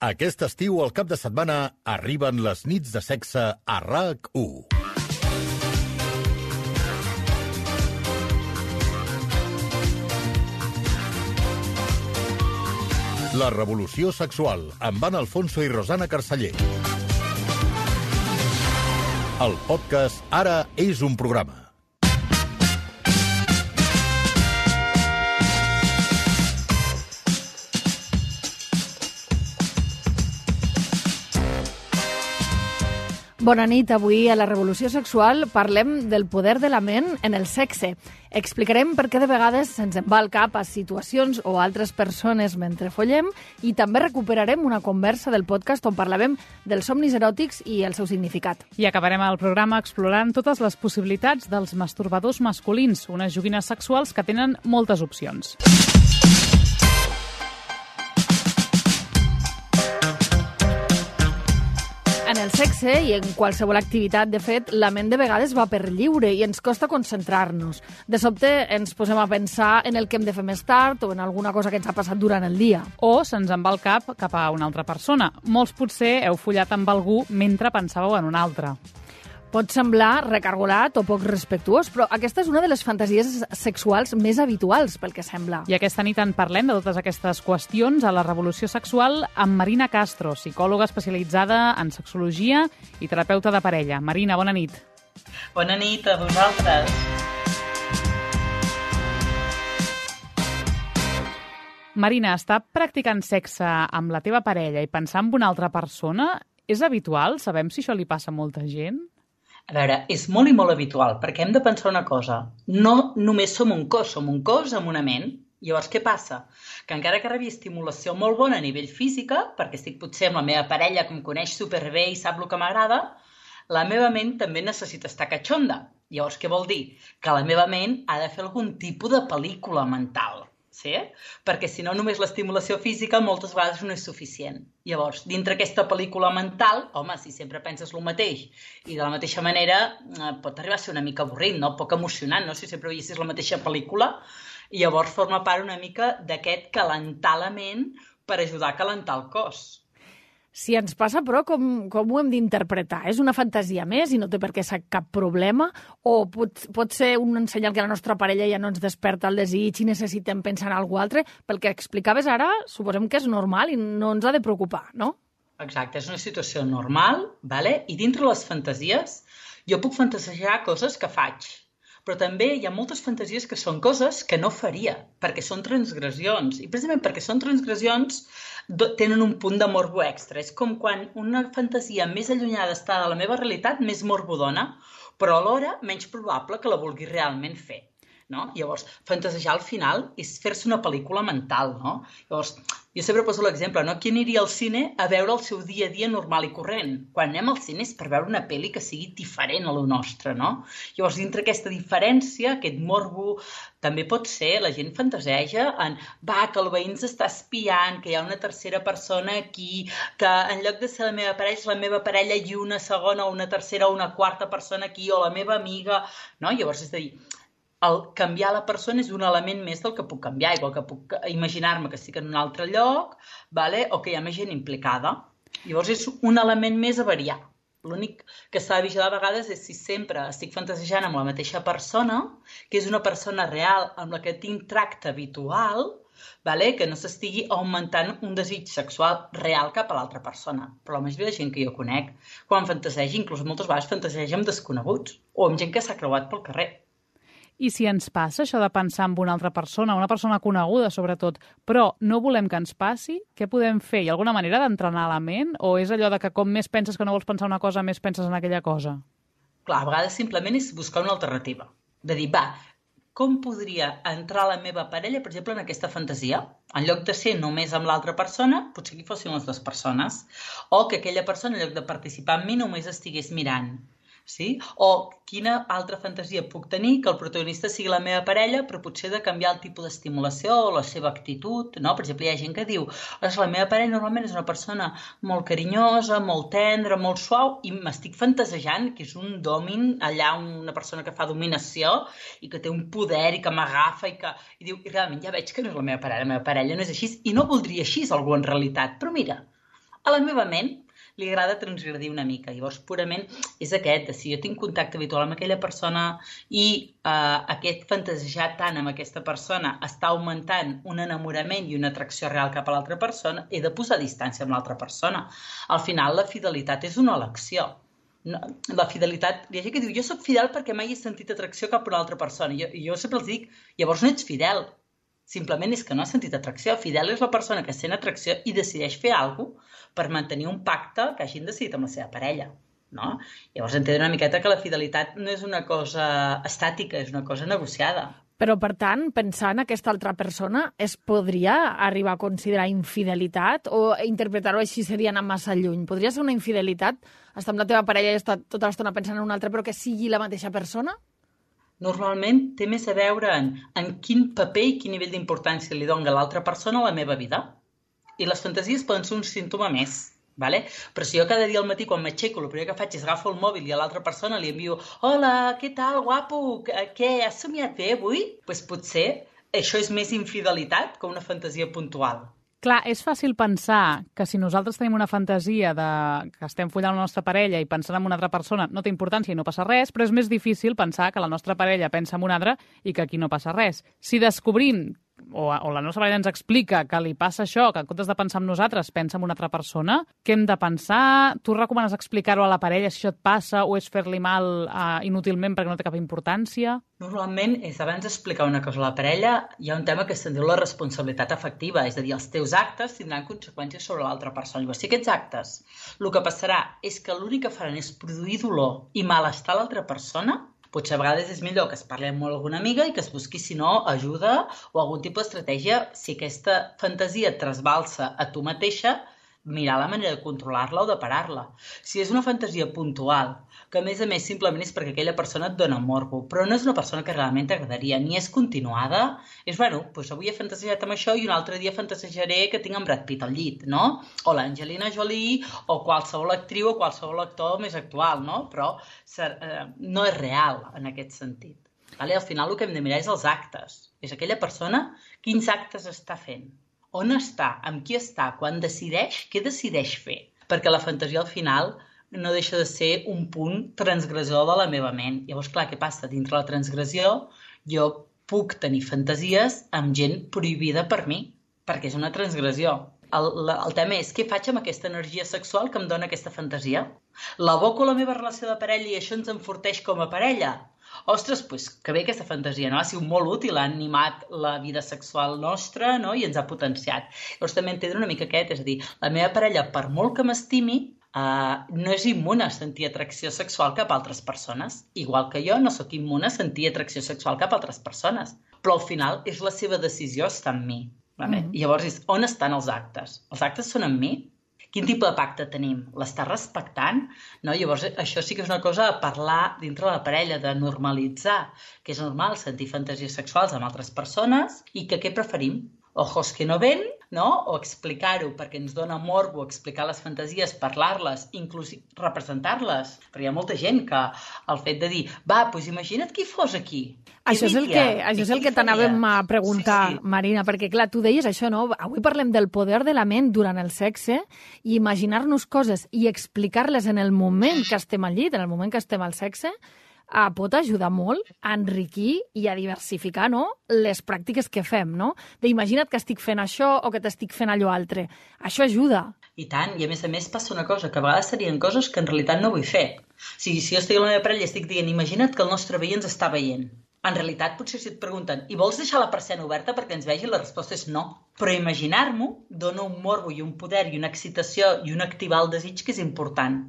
Aquest estiu, al cap de setmana, arriben les nits de sexe a RAC1. La revolució sexual, amb Anna Alfonso i Rosana Carceller. El podcast Ara és un programa. Bona nit. Avui a la Revolució Sexual parlem del poder de la ment en el sexe. Explicarem per què de vegades se'ns en va al cap a situacions o altres persones mentre follem i també recuperarem una conversa del podcast on parlàvem dels somnis eròtics i el seu significat. I acabarem el programa explorant totes les possibilitats dels masturbadors masculins, unes joguines sexuals que tenen moltes opcions. En el sexe i en qualsevol activitat, de fet, la ment de vegades va per lliure i ens costa concentrar-nos. De sobte ens posem a pensar en el que hem de fer més tard o en alguna cosa que ens ha passat durant el dia. O se'ns en va el cap a una altra persona. Molts potser heu follat amb algú mentre pensàveu en un altre. Pot semblar recargolat o poc respectuós, però aquesta és una de les fantasies sexuals més habituals, pel que sembla. I aquesta nit en parlem de totes aquestes qüestions a la Revolució Sexual amb Marina Castro, psicòloga especialitzada en sexologia i terapeuta de parella. Marina, bona nit. Bona nit a vosaltres. Marina, estar practicant sexe amb la teva parella i pensar en una altra persona és habitual? Sabem si això li passa a molta gent? A veure, és molt i molt habitual, perquè hem de pensar una cosa. No només som un cos amb una ment. Llavors, què passa? Que encara que rebi estimulació molt bona a nivell física, perquè estic potser amb la meva parella que em coneix superbé i sap el que m'agrada, la meva ment també necessita estar catxonda. Llavors, què vol dir? Que la meva ment ha de fer algun tipus de pel·lícula mental. Sí? Perquè si no, només l'estimulació física moltes vegades no és suficient. Llavors, dintre aquesta pel·lícula mental, home, si sempre penses el mateix i de la mateixa manera pot arribar a ser una mica avorrit, no? Poc emocionant, no? Si sempre veiessis la mateixa pel·lícula, i llavors forma part una mica d'aquest calentar la ment per ajudar a calentar el cos. Si ens passa, però, com ho hem d'interpretar? És una fantasia més i no té per què ser cap problema? O pot ser un senyal que la nostra parella ja no ens desperta el desig i necessitem pensar en alguna altre? Pel que explicaves ara, suposem que és normal i no ens ha de preocupar, no? Exacte, és una situació normal, vale? I dintre les fantasies jo puc fantasejar coses que faig, però també hi ha moltes fantasies que són coses que no faria, perquè són transgressions. I precisament perquè són transgressions tenen un punt de morbo extra. És com quan una fantasia més allunyada està de la meva realitat, més morbo dona, però alhora menys probable que la vulgui realment fer. No? Llavors, fantasejar al final és fer-se una pel·lícula mental. No? Llavors, jo sempre poso l'exemple, no? Qui aniria al cine a veure el seu dia a dia normal i corrent? Quan anem al cine és per veure una pel·li que sigui diferent a la nostra, no? Llavors, dintre aquesta diferència, aquest morbo, també pot ser, la gent fantaseja en que el veí ens està espiant, que hi ha una tercera persona aquí, que en lloc de ser la meva parella és la meva parella i una segona o una tercera o una quarta persona aquí, o la meva amiga, no? Llavors, és a dir, el canviar la persona és un element més del que puc canviar, igual que puc imaginar-me que estic en un altre lloc, vale? O que hi ha més gent implicada. Llavors és un element més a variar. L'únic que s'ha de vigilar a vegades és si sempre estic fantasejant amb la mateixa persona, que és una persona real amb la que tinc tracte habitual, vale? Que no s'estigui augmentant un desig sexual real cap a l'altra persona. Però la majoria de gent que jo conec, quan fantaseja, inclús moltes vegades fantaseja amb desconeguts o amb gent que s'ha creuat pel carrer. I si ens passa això de pensar en una altra persona, una persona coneguda sobretot, però no volem que ens passi, què podem fer? Hi ha alguna manera d'entrenar la ment? O és allò de que com més penses que no vols pensar una cosa, més penses en aquella cosa? Clar, a vegades simplement és buscar una alternativa. De dir, com podria entrar la meva parella, per exemple, en aquesta fantasia? En lloc de ser només amb l'altra persona, potser que fossin les dues persones. O que aquella persona, en lloc de participar amb mi, només estigués mirant. Sí? O quina altra fantasia puc tenir que el protagonista sigui la meva parella, però potser de canviar el tipus d'estimulació o la seva actitud, no? Per exemple, hi ha gent que diu la meva parella normalment és una persona molt carinyosa, molt tendra, molt suau, i m'estic fantasejant que és un domin allà, una persona que fa dominació i que té un poder i que m'agafa i diu, i realment ja veig que no és la meva parella no és així i no voldria així algú en realitat, però mira, A la meva ment li agrada transgredir una mica. Llavors, purament és aquest, si jo tinc contacte habitual amb aquella persona i aquest fantasejar tant amb aquesta persona està augmentant un enamorament i una atracció real cap a l'altra persona, he de posar distància amb l'altra persona. Al final, la fidelitat és una elecció. No, la fidelitat, hi ha gent que diu, jo soc fidel perquè mai he sentit atracció cap a una altra persona. Jo sempre els dic, llavors no ets fidel. Simplement és que no has sentit atracció. Fidel és la persona que sent atracció i decideix fer alguna cosa per mantenir un pacte que hagin decidit amb la seva parella. No? Llavors entendre una miqueta que la fidelitat no és una cosa estàtica, és una cosa negociada. Però, per tant, pensar en aquesta altra persona es podria arribar a considerar infidelitat o interpretar-ho així seria anar massa lluny? Podria ser una infidelitat estar amb la teva parella i estar tota l'estona pensant en una altra però que sigui la mateixa persona? Normalment té més a veure en quin paper i quin nivell d'importància li dona l'altra persona a la meva vida. I les fantasies poden ser un símptoma més. Vale? Però si jo cada dia al matí quan m'aixeco el primer que faig és agafo el mòbil i a l'altra persona li envio hola, què tal, guapo, què, has somiat bé avui? Doncs potser això és més infidelitat que una fantasia puntual. Clar, és fàcil pensar que si nosaltres tenim una fantasia que estem follant la nostra parella i pensant en una altra persona no té importància i no passa res, però és més difícil pensar que la nostra parella pensa en una altra i que aquí no passa res. Si descobrim o la nostra parella ens explica que li passa això, que en comptes de pensar en nosaltres pensa en una altra persona, què hem de pensar? Tu recomanes explicar-ho a la parella si això et passa o és fer-li mal inútilment perquè no té cap importància? Normalment, abans d'explicar una cosa a la parella, hi ha un tema que se'n diu la responsabilitat afectiva, és a dir, els teus actes tindran conseqüències sobre l'altra persona. Llavors, si aquests actes, el que passarà és que l'únic que faran és produir dolor i malestar a l'altra persona, potser a vegades és millor que es parli amb alguna amiga i que es busqui, si no, ajuda o algun tipus d'estratègia. Si aquesta fantasia et trasbalsa a tu mateixa, mirar la manera de controlar-la o de parar-la. Si és una fantasia puntual, que a més simplement és perquè aquella persona et dona morbo, però no és una persona que realment t'agradaria, ni és continuada, és, doncs avui he fantasejat amb això i un altre dia fantasejaré que tinc en Brad Pitt al llit, no? O l'Angelina Jolie, o qualsevol actriu o qualsevol actor més actual, no? Però no és real en aquest sentit. Vale? Al final el que hem de mirar és els actes. És aquella persona, quins actes està fent? On està? Amb qui està? Quan decideix? Què decideix fer? Perquè la fantasia al final no deixa de ser un punt transgressor de la meva ment. Llavors, clar, què passa? Dintre la transgressió jo puc tenir fantasies amb gent prohibida per mi, perquè és una transgressió. El tema és què faig amb aquesta energia sexual que em dona aquesta fantasia? L'aboco a la meva relació de parella i això ens enforteix com a parella? Ostres, doncs que bé aquesta fantasia, no? Ha sigut molt útil, ha animat la vida sexual nostra, no? I ens ha potenciat. Llavors també entendre una mica aquest, és a dir, la meva parella, per molt que m'estimi, no és immune a sentir atracció sexual cap a altres persones. Igual que jo no sóc immune a sentir atracció sexual cap a altres persones. Però al final és la seva decisió, està en mi. Vale? Llavors, on estan els actes? Els actes són en mi? Quin tipus de pacte tenim? L'està respectant? No? Llavors, això sí que és una cosa a parlar dintre la parella, de normalitzar, que és normal sentir fantasies sexuals amb altres persones i que què preferim? Ojos que no ven, no? O explicar-ho perquè ens dona morbo, explicar les fantasies, parlar-les, inclús representar-les. Però hi ha molta gent que el fet de dir, doncs imagina't qui fos aquí. Això és el que t'anàvem a preguntar, sí. Marina, perquè clar, tu deies això, no? Avui parlem del poder de la ment durant el sexe i imaginar-nos coses i explicar-les en el moment que estem al llit, en el moment que estem al sexe, pot ajudar molt a enriquir i a diversificar, no?, les pràctiques que fem, no? D'imagina't que estic fent això o que t'estic fent allò altre. Això ajuda. I tant, i a més passa una cosa, que a vegades serien coses que en realitat no vull fer. Si jo estic amb la meva parella i estic dient, imagina't que el nostre veí ens està veient. En realitat, potser si et pregunten, i vols deixar la persiana oberta perquè ens vegi? La resposta és no. Però imaginar-m'ho dona un morbo i un poder i una excitació i un activar el desig que és important.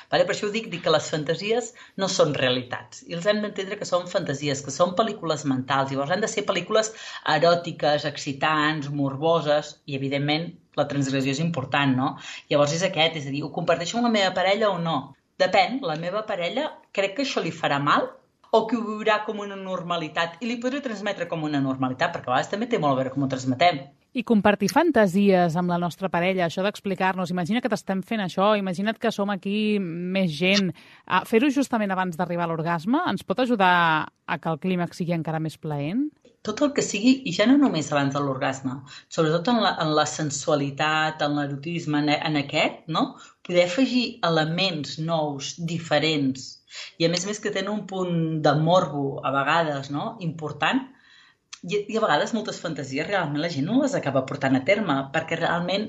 Vale? Per això ho dic que les fantasies no són realitats. I els hem d'entendre que són fantasies, que són pel·lícules mentals. Llavors han de ser pel·lícules eròtiques, excitants, morboses, i evidentment la transgressió és important, no? Llavors és aquest, és a dir, ho comparteixo amb la meva parella o no? Depèn, la meva parella crec que això li farà mal o que ho viurà com una normalitat i li podré transmetre com una normalitat, perquè a vegades també té molt a veure com ho transmetem. I compartir fantasies amb la nostra parella, això d'explicar-nos, imagina que t'estem fent això, imagina't que som aquí més gent. Fer-ho justament abans d'arribar a l'orgasme ens pot ajudar a que el clímax sigui encara més plaent? Tot el que sigui, i ja no només abans de l'orgasme, sobretot en la sensualitat, en l'erotisme, en aquest, no? Poder afegir elements nous, diferents, i a més que tenen un punt de morbo, a vegades, no? Important, i a vegades moltes fantasies realment la gent no les acaba portant a terme, perquè realment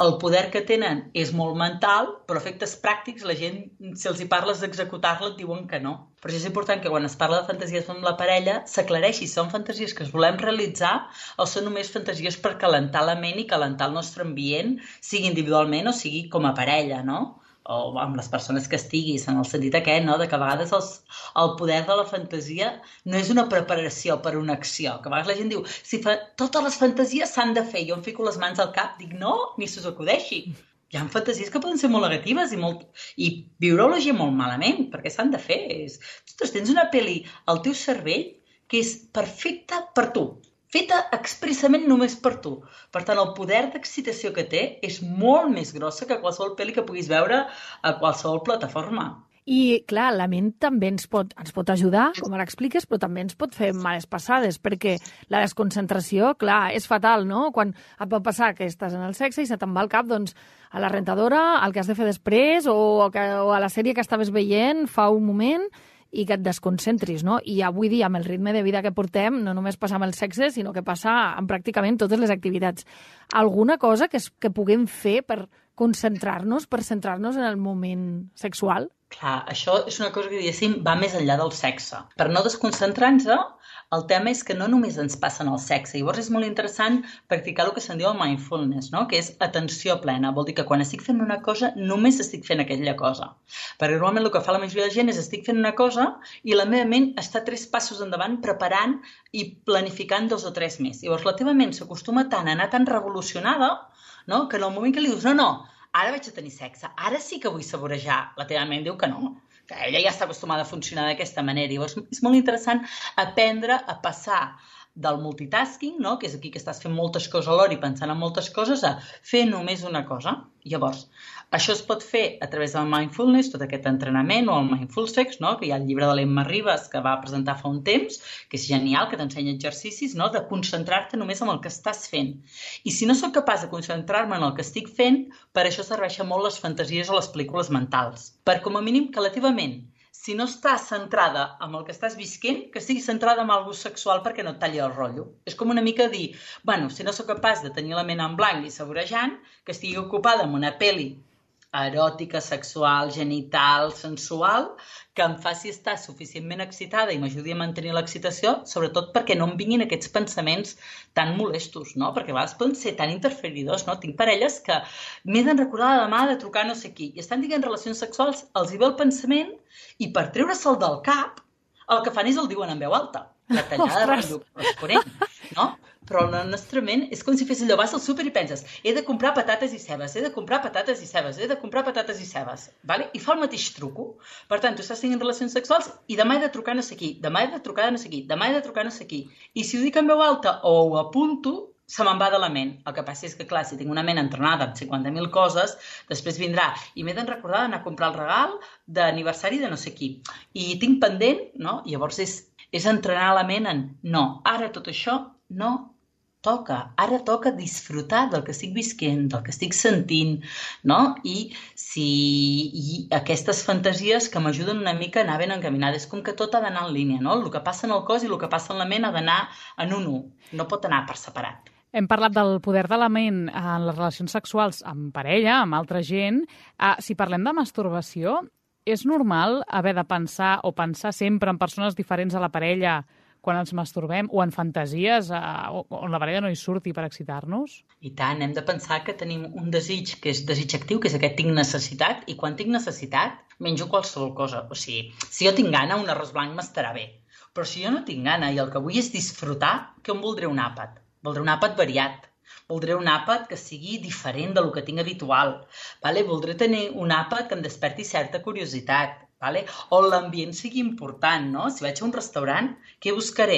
el poder que tenen és molt mental, però a efectes pràctics la gent, si els hi parles d'executar-la, et diuen que no. Per això és important que quan es parla de fantasies amb la parella s'aclareixi si són fantasies que es volem realitzar o són només fantasies per calentar la ment i calentar el nostre ambient, sigui individualment o sigui com a parella, no? O amb les persones que estiguis, en el sentit aquest, no? De que a vegades el poder de la fantasia no és una preparació per una acció, que a vegades la gent diu totes les fantasies s'han de fer, jo em fico les mans al cap, dic no, ni se us acudeixi. Hi ha fantasies que poden ser molt negatives i viure-ho la gent molt malament, perquè s'han de fer. Ostres, tens una pel·li al teu cervell que és perfecta per tu, feta expressament només per tu. Per tant, el poder d'excitació que té és molt més grossa que qualsevol pel·li que puguis veure a qualsevol plataforma. I, clar, la ment també ens pot ajudar, com ara expliques, però també ens pot fer males passades, perquè la desconcentració, clar, és fatal, no? Quan et pot passar que estàs en el sexe i se te'n va al cap, doncs, a la rentadora, el que has de fer després, o a la sèrie que estaves veient fa un moment, i que et desconcentris, no? I avui dia, amb el ritme de vida que portem, no només passa amb el sexe, sinó que passa amb pràcticament totes les activitats. Alguna cosa que puguem fer per concentrar-nos, per centrar-nos en el moment sexual? Clar, això és una cosa que, diguéssim, va més enllà del sexe. Per no desconcentrar-nos, el tema és que no només ens passa en el sexe. Llavors és molt interessant practicar el que se'n diu el mindfulness, no? Que és atenció plena. Vol dir que quan estic fent una cosa, només estic fent aquella cosa. Perquè normalment el que fa la majoria de gent és estic fent una cosa i la meva ment està 3 passos endavant preparant i planificant 2 o 3 més. Llavors la teva ment s'acostuma tant a anar tan revolucionada, no? Que en el moment que li dius no, ara vaig a tenir sexe, ara sí que vull saborejar, la teva ment diu que no, que ella ja està acostumada a funcionar d'aquesta manera. Llavors és molt interessant aprendre a passar del multitasking, no? Que és aquí que estàs fent moltes coses alhora i pensant en moltes coses, a fer només una cosa. Llavors, això es pot fer a través del mindfulness, tot aquest entrenament, o el mindful sex, no? Que hi ha el llibre de l'Emma Ribas que va presentar fa un temps, que és genial, que t'ensenya exercicis, no? De concentrar-te només en el que estàs fent. I si no sóc capaç de concentrar-me en el que estic fent, per això serveixen molt les fantasies o les pel·lícules mentals. Per com a mínim que la teva ment, si no estàs centrada en el que estàs visquent, que estiguis centrada en alguna cosa sexual perquè no et talli el rotllo. És com una mica dir, bueno, si no sóc capaç de tenir la ment en blanc i saborejant, que estigui ocupada amb una pel·li eròtica, sexual, genital, sensual, que em faci estar suficientment excitada i m'ajudi a mantenir l'excitació, sobretot perquè no em vinguin aquests pensaments tan molestos, no? Perquè a vegades poden ser tan interferidors, no? Tinc parelles que m'he de recordar demà de trucar no sé qui i estan dient relacions sexuals, els hi ve el pensament i per treure-se'l del cap el que fan és el diuen en veu alta. La tallada de rotllo corresponent, no? Però la nostra ment és com si fes allò, vas al súper i penses he de comprar patates i cebes, he de comprar patates i cebes, he de comprar patates i cebes, vale? I fa el mateix truco. Per tant, tu estàs tenint relacions sexuals i demà he de trucar no sé qui, demà he de trucar no sé qui, demà he de trucar no sé qui. I si ho dic en veu alta o ho apunto, se me'n va de la ment. El que passa és que, clar, si tinc una ment entrenada amb 50.000 coses, després vindrà i m'he de recordar d'anar a comprar el regal d'aniversari de no sé qui. I tinc pendent, no? I llavors és entrenar la ment en no, ara tot això no toca. Ara toca disfrutar del que estic visquent, del que estic sentint, no? I aquestes fantasies que m'ajuden una mica a anar ben encaminada. És com que tot ha d'anar en línia, no? El que passa en el cos i el que passa en la ment ha d'anar en un. No pot anar per separat. Hem parlat del poder de la ment en les relacions sexuals amb parella, amb altra gent. Si parlem de masturbació, és normal haver de pensar sempre en persones diferents a la parella quan ens masturbem, o en fantasies on la parella no hi surti per excitar-nos? I tant, hem de pensar que tenim un desig que és desig actiu, que és aquest tinc necessitat, i quan tinc necessitat menjo qualsevol cosa. O sigui, si jo tinc gana, un arròs blanc m'estarà bé. Però si jo no tinc gana i el que vull és disfrutar, què em voldré un àpat? Voldré un àpat variat. Voldré un àpat que sigui diferent del que tinc habitual. Vale? Voldré tenir un àpat que em desperti certa curiositat. Vale? O l'ambient sigui important, no? Si vaig a un restaurant, què buscaré?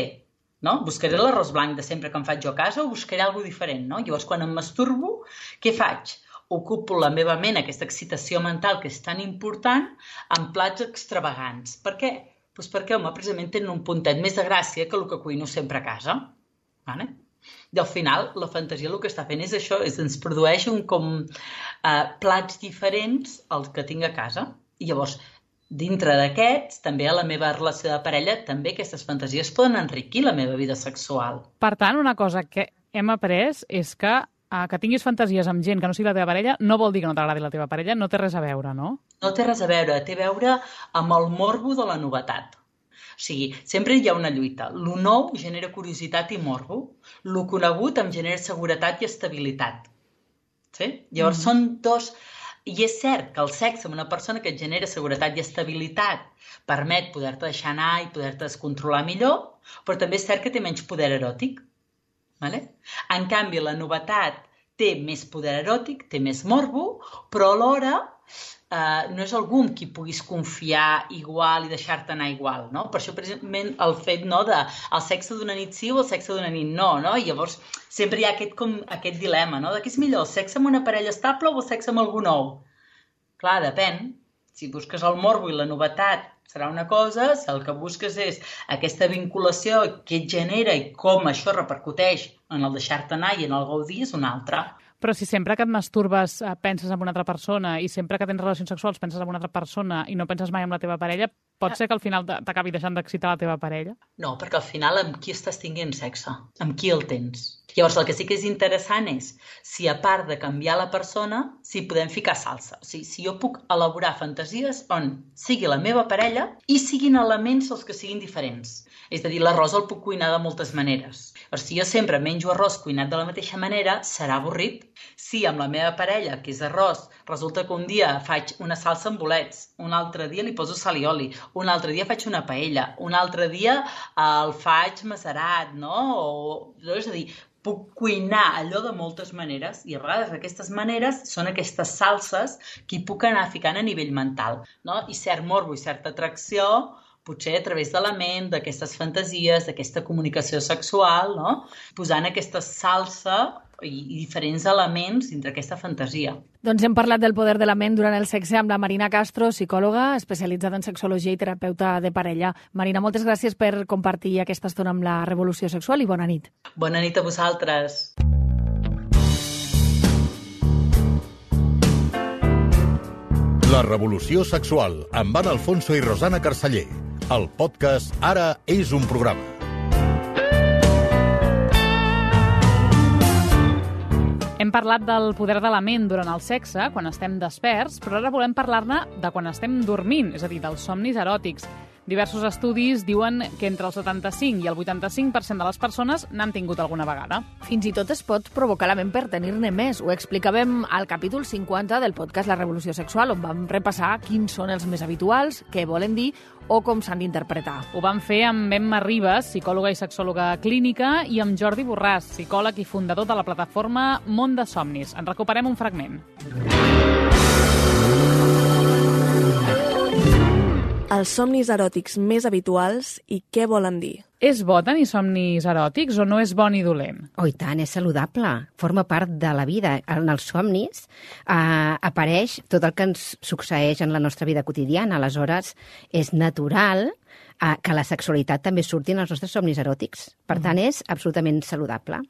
no? Buscaré l'arròs blanc de sempre que em faig jo a casa o buscaré alguna diferent, no? Llavors, quan em masturbo, què faig? Ocupo la meva ment, aquesta excitació mental que és tan important, amb plats extravagants. Per què? Doncs perquè, home, precisament tenen un puntet més de gràcia que el que cuino sempre a casa. Vale? I al final, la fantasia el que està fent és això, ens produeix plats diferents als que tinc a casa. I llavors, dintre d'aquests, també a la meva relació de parella, també aquestes fantasies poden enriquir la meva vida sexual. Per tant, una cosa que hem après és que tinguis fantasies amb gent que no sigui la teva parella no vol dir que no t'agradi la teva parella, no té res a veure, no? No té res a veure, té a veure amb el morbo de la novetat. O sigui, sempre hi ha una lluita. Lo nou genera curiositat i morbo, lo conegut em genera seguretat i estabilitat. Sí? Llavors són dos... I és cert que el sexe amb una persona que et genera seguretat i estabilitat permet poder-te deixar anar i poder-te descontrolar millor, però també és cert que té menys poder eròtic. Vale? En canvi, la novetat té més poder eròtic, té més morbo, però alhora no és algú amb qui puguis confiar igual i deixar-te anar igual, no? Per això, precisament, el fet de el sexe d'una nit sí o el sexe d'una nit no, no? I llavors sempre hi ha aquest dilema, no? De què és millor, el sexe amb una parella estable o el sexe amb algú nou? Clar, depèn. Si busques el morbo i la novetat serà una cosa, si el que busques és aquesta vinculació que et genera i com això repercuteix en el deixar-te anar i en el gaudir és una altra. Però si sempre que et masturbes penses en una altra persona i sempre que tens relacions sexuals penses en una altra persona i no penses mai en la teva parella, pot ser que al final t'acabi deixant d'excitar la teva parella? No, perquè al final amb qui estàs tinguent sexe? Amb qui el tens? Llavors, el que sí que és interessant és si, a part de canviar la persona, si podem ficar salsa. O sigui, si jo puc elaborar fantasies on sigui la meva parella i siguin elements els que siguin diferents. És a dir, l'arròs el puc cuinar de moltes maneres. Però si jo sempre menjo arròs cuinat de la mateixa manera, serà avorrit. Si amb la meva parella, que és arròs, resulta que un dia faig una salsa amb bolets, un altre dia li poso sal i oli, un altre dia faig una paella, un altre dia el faig macerat, no? És a dir, puc cuinar allò de moltes maneres i a vegades aquestes maneres són aquestes salses que hi puc anar ficant a nivell mental, no? I cert morbo i certa atracció, potser a través de la ment, d'aquestes fantasies, d'aquesta comunicació sexual, no? Posant aquesta salsa i diferents elements dintre aquesta fantasia. Doncs hem parlat del poder de la ment durant el sexe amb la Marina Castro, psicòloga especialitzada en sexologia i terapeuta de parella. Marina, moltes gràcies per compartir aquesta estona amb la Revolució Sexual i bona nit. Bona nit a vosaltres. La Revolució Sexual amb Anna Alfonso i Rosana Carceller. El podcast Ara és un programa. Hem parlat del poder de la ment durant el sexe, quan estem desperts, però ara volem parlar-ne de quan estem dormint, és a dir, dels somnis eròtics. Diversos estudis diuen que entre el 75 i el 85% de les persones n'han tingut alguna vegada. Fins i tot es pot provocar la ment per tenir-ne més. Ho explicàvem al capítol 50 del podcast La Revolució Sexual, on vam repassar quins són els més habituals, què volen dir o com s'han d'interpretar. Ho vam fer amb Emma Ribas, psicòloga i sexòloga clínica, i amb Jordi Borràs, psicòleg i fundador de la plataforma Món de Somnis. En recuperem un fragment. Els somnis eròtics més habituals i què volen dir. És bo tenir somnis eròtics o no és bo ni dolent? Oh, i tant, és saludable. Forma part de la vida. En els somnis apareix tot el que ens succeeix en la nostra vida quotidiana. Aleshores, és natural que la sexualitat també surti en els nostres somnis eròtics. Per tant, és absolutament saludable.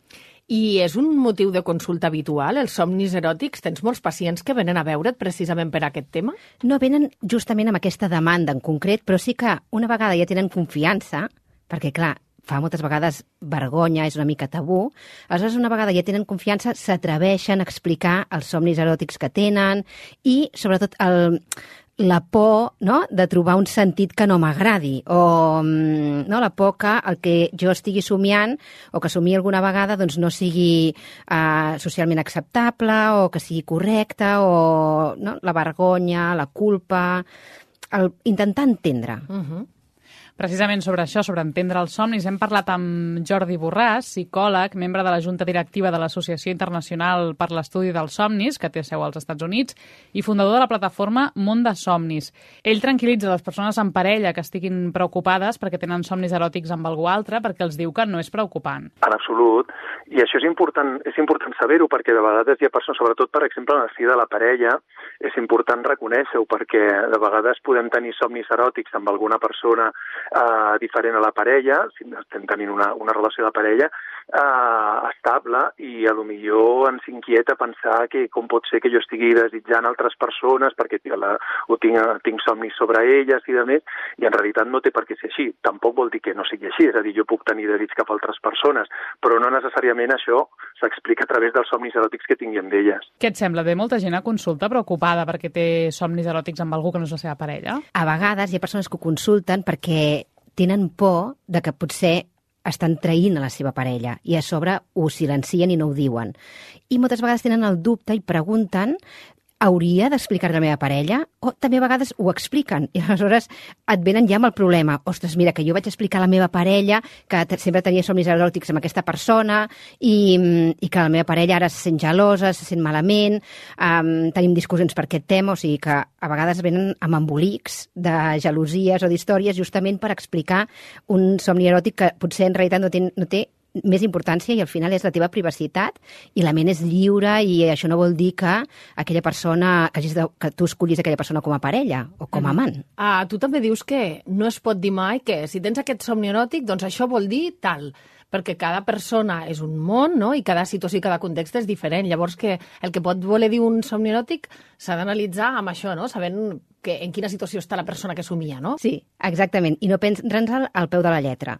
I és un motiu de consulta habitual, els somnis eròtics? Tens molts pacients que venen a veure't precisament per aquest tema? No venen justament amb aquesta demanda en concret, però sí que una vegada ja tenen confiança, perquè, clar, fa moltes vegades vergonya, és una mica tabú, aleshores una vegada ja tenen confiança, s'atreveixen a explicar els somnis eròtics que tenen i, sobretot, la por, no?, de trobar un sentit que no m'agradi, o no, la por que el que jo estigui somiant o que somia alguna vegada doncs no sigui socialment acceptable o que sigui correcte, o no, la vergonya, la culpa, intentar entendre. Precisament sobre això, sobre entendre els somnis, hem parlat amb Jordi Borràs, psicòleg, membre de la Junta Directiva de l'Associació Internacional per l'Estudi dels Somnis, que té seu als Estats Units, i fundador de la plataforma Món de Somnis. Ell tranquil·litza les persones en parella que estiguin preocupades perquè tenen somnis eròtics amb algú altre, perquè els diu que no és preocupant. En absolut. I això és important saber-ho, perquè de vegades hi ha persones, sobretot, per exemple, en el si de la parella, és important reconèixer-ho, perquè de vegades podem tenir somnis eròtics amb alguna persona diferent a la parella, si estem tenint una relació de parella estable, i a lo millor ens inquieta pensar que com pot ser que jo estigui desitjant altres persones perquè tinc somnis sobre elles i de més, i en realitat no té per què ser així. Tampoc vol dir que no sigui així, és a dir, jo puc tenir desig cap a altres persones, però no necessàriament això s'explica a través dels somnis eròtics que tingui amb elles. Què et sembla? Ve molta gent a consulta preocupada perquè té somnis eròtics amb algú que no és la seva parella? A vegades hi ha persones que ho consulten perquè tenen por de que potser estan traint a la seva parella i a sobre ho silencien i no ho diuen. I moltes vegades tenen el dubte i pregunten: hauria d'explicar a la meva parella? O també a vegades ho expliquen i aleshores et venen ja amb el problema. Ostres, mira, que jo vaig explicar a la meva parella que sempre tenia somnis eròtics amb aquesta persona i que la meva parella ara se sent gelosa, se sent malament, tenim discussions per aquest tema, o sigui que a vegades venen amb embolics de gelosies o d'històries justament per explicar un somni eròtic que potser en realitat no té més importància i al final és la teva privacitat i la ment és lliure i això no vol dir que aquella persona, que tu escollis aquella persona com a parella o com a amant. Tu també dius que no es pot dir mai que si tens aquest somni eròtic, doncs això vol dir tal, perquè cada persona és un món, no? I cada situació i cada context és diferent. Llavors que el que pot voler dir un somni eròtic s'ha d'analitzar amb això, no? Sabent en quina situació està la persona que somia, no? Sí, exactament. I no prendre'l al peu de la lletra,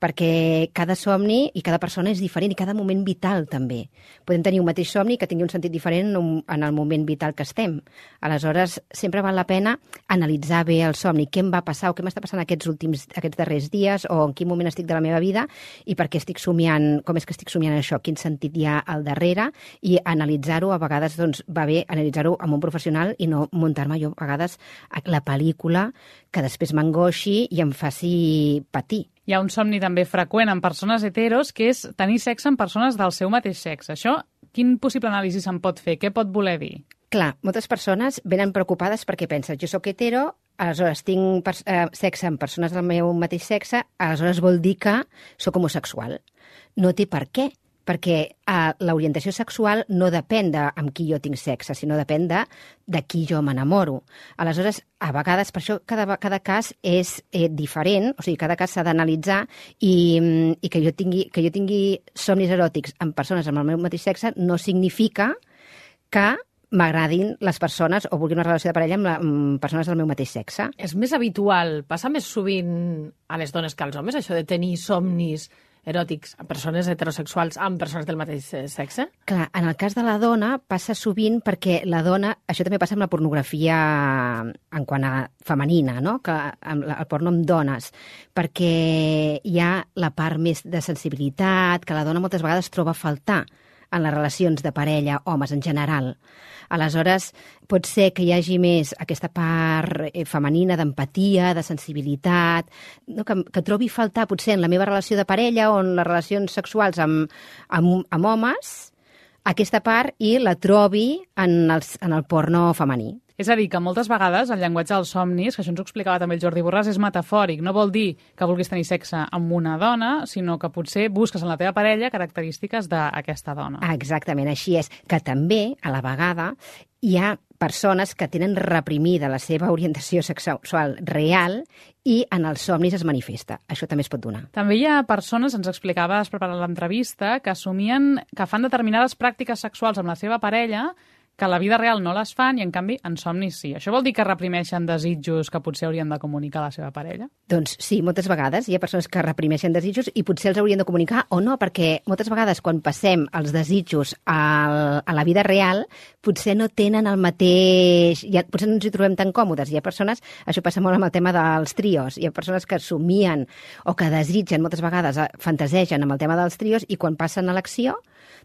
perquè cada somni i cada persona és diferent i cada moment vital també. Podem tenir un mateix somni que tingui un sentit diferent en el moment vital que estem. Aleshores, sempre val la pena analitzar bé el somni, què em va passar o què m'està passant aquests darrers dies o en quin moment estic de la meva vida i per què estic somiant, com és que estic somiant això, quin sentit hi ha al darrere, i analitzar-ho. A vegades doncs, va bé analitzar-ho amb un professional i no muntar-me jo a vegades la pel·lícula que després m'angoixi i em faci patir. Hi ha un somni també freqüent en persones heteros, que és tenir sexe amb persones del seu mateix sexe. Això, quin possible anàlisi se'n pot fer? Què pot voler dir? Clar, moltes persones venen preocupades perquè pensen, jo sóc hetero, aleshores tinc sexe amb persones del meu mateix sexe, aleshores vol dir que sóc homosexual. No té per què, perquè l'orientació sexual no depèn de amb qui jo tinc sexe, sinó depèn de qui jo m'enamoro. Aleshores, a vegades, per això cada cas és diferent, o sigui, cada cas s'ha d'analitzar i que jo tingui somnis eròtics amb persones amb el meu mateix sexe no significa que m'agradin les persones o vulgui una relació de parella amb persones del meu mateix sexe. És més habitual, passa més sovint a les dones que als homes, això de tenir somnis eròtics a persones heterosexuals amb persones del mateix sexe? Clar, en el cas de la dona passa sovint perquè la dona, això també passa amb la pornografia en quant a femenina, no? Que el porno amb dones, perquè hi ha la part més de sensibilitat que la dona moltes vegades troba a faltar en les relacions de parella, homes en general. Aleshores, pot ser que hi hagi més aquesta part femenina d'empatia, de sensibilitat, no? que trobi a faltar potser en la meva relació de parella o en les relacions sexuals amb homes, aquesta part i la trobi en el porno femení. És a dir, que moltes vegades el llenguatge dels somnis, que això ens ho explicava també el Jordi Borràs, és metafòric. No vol dir que vulguis tenir sexe amb una dona, sinó que potser busques en la teva parella característiques d'aquesta dona. Exactament, així és. Que també, a la vegada, hi ha persones que tenen reprimida la seva orientació sexual real i en els somnis es manifesta. Això també es pot donar. També hi ha persones, ens explicaves preparant l'entrevista, que assumien que fan determinades pràctiques sexuals amb la seva parella que a la vida real no les fan i, en canvi, en somnis sí. Això vol dir que reprimeixen desitjos que potser haurien de comunicar a la seva parella? Doncs sí, moltes vegades hi ha persones que reprimeixen desitjos i potser els haurien de comunicar o no, perquè moltes vegades quan passem els desitjos a la vida real potser no tenen el mateix... potser no ens hi trobem tan còmodes. Hi ha persones, això passa molt amb el tema dels trios, hi ha persones que somien o que desitgen moltes vegades, fantasegen amb el tema dels trios i quan passen a l'acció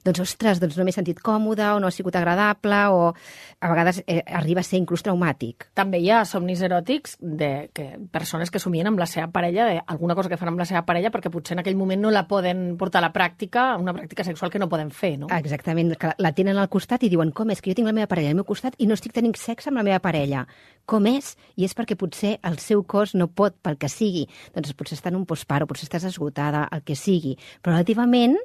doncs, ostres, doncs no m'he sentit còmode o no ha sigut agradable o a vegades arriba a ser inclús traumàtic. També hi ha somnis eròtics de persones que somien amb la seva parella, alguna cosa que fan amb la seva parella perquè potser en aquell moment no la poden portar a la pràctica, una pràctica sexual que no poden fer, no? Exactament, que la tenen al costat i diuen, com és que jo tinc la meva parella al meu costat i no estic tenint sexe amb la meva parella? Com és? I és perquè potser el seu cos no pot, pel que sigui. Doncs potser està en un postpart o potser estàs esgotada, el que sigui. Però relativament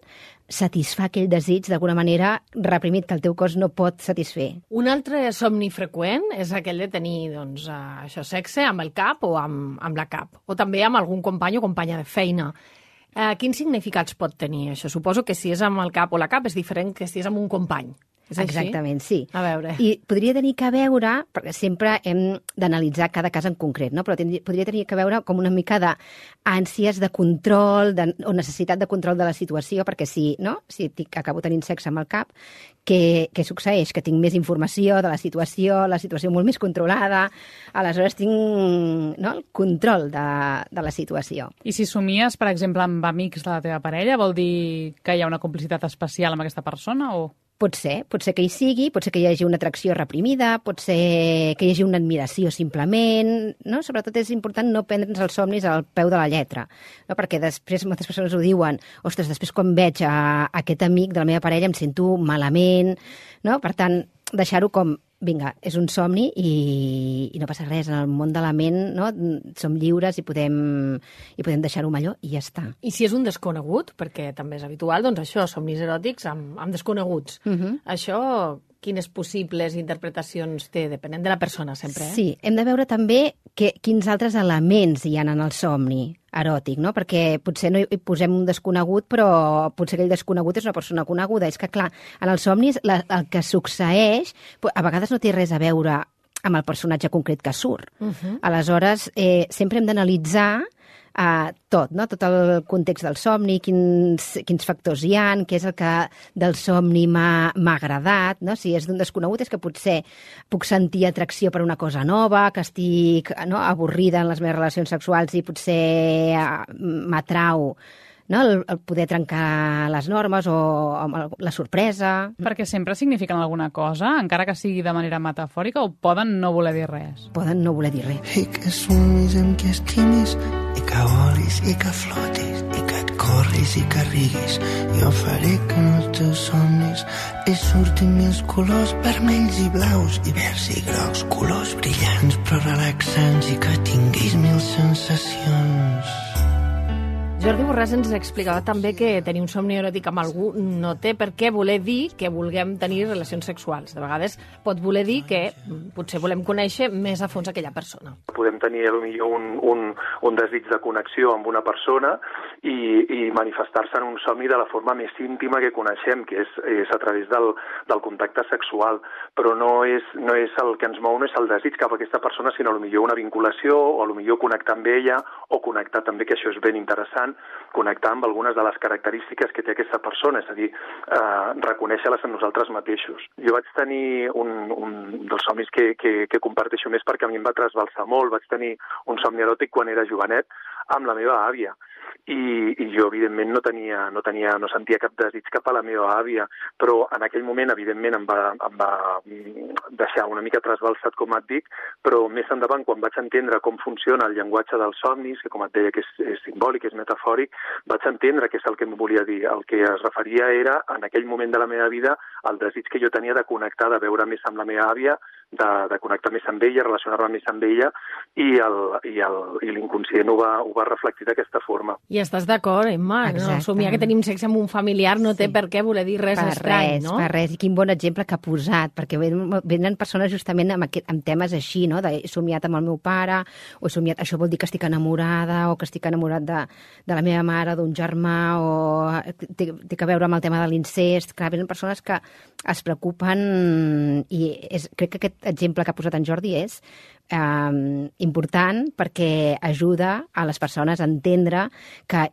satisfà aquell desig d'alguna manera reprimit que el teu cos no pot satisfer. Un altre somni freqüent és aquell de tenir doncs, això, sexe amb el cap o amb la cap, o també amb algun company o companya de feina. Quins significats pot tenir això? Suposo que si és amb el cap o la cap és diferent que si és amb un company. És així? Exactament, sí. A veure. I podria tenir que veure, perquè sempre hem d'analitzar cada cas en concret, no? Però podria tenir que veure com una mica d'ànsies de control o necessitat de control de la situació, perquè si acabo tenint sexe amb el cap, què succeeix? Que tinc més informació de la situació molt més controlada, aleshores tinc el control de la situació. I si somies, per exemple, amb amics de la teva parella, vol dir que hi ha una complicitat especial amb aquesta persona o...? Pot ser que hi sigui, pot ser que hi hagi una atracció reprimida, pot ser que hi hagi una admiració simplement, no? Sobretot és important no prendre'ns els somnis al peu de la lletra, no? Perquè després moltes persones ho diuen, ostres, després quan veig aquest amic de la meva parella em sento malament, no? Per tant, deixar-ho com, vinga, és un somni i no passa res, en el món de la ment, no? Som lliures i podem deixar-ho amb allò i ja està. I si és un desconegut, perquè també és habitual, doncs això, somnis eròtics amb desconeguts. Això, quines possibles interpretacions té, depenent de la persona, sempre, Sí, hem de veure també quins altres elements hi ha en el somni eròtic, no? Perquè potser no hi posem un desconegut, però potser aquell desconegut és una persona coneguda. És que, clar, en els somnis el que succeeix a vegades no té res a veure amb el personatge concret que surt. Aleshores, sempre hem d'analitzar tot, no? Tot el context del somni, quins factors hi ha, què és el que del somni m'ha agradat, no? Si és d'un desconegut és que potser puc sentir atracció per una cosa nova, que estic avorrida en les meves relacions sexuals i potser m'atrau el poder trencar les normes o la sorpresa. Perquè sempre signifiquen alguna cosa, encara que sigui de manera metafòrica, o poden no voler dir res? Poden no voler dir res. I que somis amb que estimis, i que volis, i que flotis, i que et corris i que riguis. Jo faré que en els teus somnis surtin mil colors vermells i blaus, i verds i grocs, colors brillants però relaxants, i que tinguis mil sensacions. Jordi Borràs ens explicava també que tenir un somni eròtic amb algú no té per què voler dir que vulguem tenir relacions sexuals. De vegades pot voler dir que potser volem conèixer més a fons aquella persona. Podem tenir potser un desig de connexió amb una persona i manifestar-se en un somni de la forma més íntima que coneixem, que és a través del contacte sexual. Però no és el que ens mou, no és el desig cap a aquesta persona, sinó potser una vinculació o potser connectar amb ella o connectar també, que això és ben interessant, connectar amb algunes de les característiques que té aquesta persona, és a dir, reconèixer-les en nosaltres mateixos. Jo vaig tenir un dels somnis que comparteixo més perquè a mi em va trasbalsar molt. Vaig tenir un somni eròtic quan era jovenet amb la meva àvia. I jo, evidentment, no sentia cap desig cap a la meva àvia, però en aquell moment, evidentment, em va deixar una mica trasbalsat, com et dic, però més endavant, quan vaig entendre com funciona el llenguatge dels somnis, que com et deia que és simbòlic, és metafòric, vaig entendre què és el que em volia dir. El que es referia era, en aquell moment de la meva vida, el desig que jo tenia de connectar, de veure més amb la meva àvia, de connectar més amb ella, relacionar-me més amb ella, i l'inconscient ho va reflectir d'aquesta forma. I estàs d'acord, Emma? No? Somiar que tenim sexe amb un familiar no té per què voler dir res estrany, no? Per res, i quin bon exemple que ha posat, perquè venen persones justament amb temes així, no? He somiat amb el meu pare, o he somiat, això vol dir que estic enamorada, o que estic enamorat de la meva mare, d'un germà, o té que veure amb el tema de l'incest. Clar, venen persones que es preocupen, i crec que aquest exemple que ha posat en Jordi és important perquè ajuda a les persones a entendre que